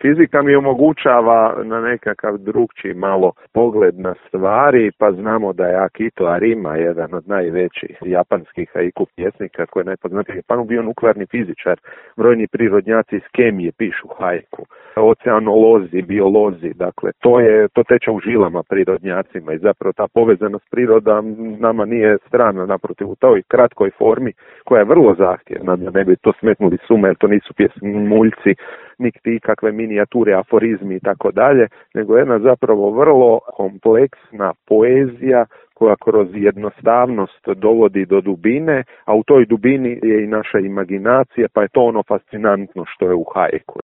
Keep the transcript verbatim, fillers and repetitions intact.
Fizika mi omogućava na nekakav drugčiji malo pogled na stvari, pa znamo da je Akito Arima, jedan od najvećih japanskih haiku pjesnika koji je najpoznatiji u Japanu, bio nuklearni fizičar. Brojni prirodnjaci iz kemije pišu haiku. Oceanolozi, biolozi, dakle to je to teče u žilama prirodnjacima i zapravo ta povezanost priroda nama nije strana, naprotiv u toj kratkoj formi koja je vrlo zahtjevna, da ne bi to smetnuli sume, jer to nisu pjesmuljci, niti kakve minijature, aforizmi i tako dalje, nego jedna zapravo vrlo kompleksna poezija koja kroz jednostavnost dovodi do dubine, a u toj dubini je i naša imaginacija, pa je to ono fascinantno što je u haiku.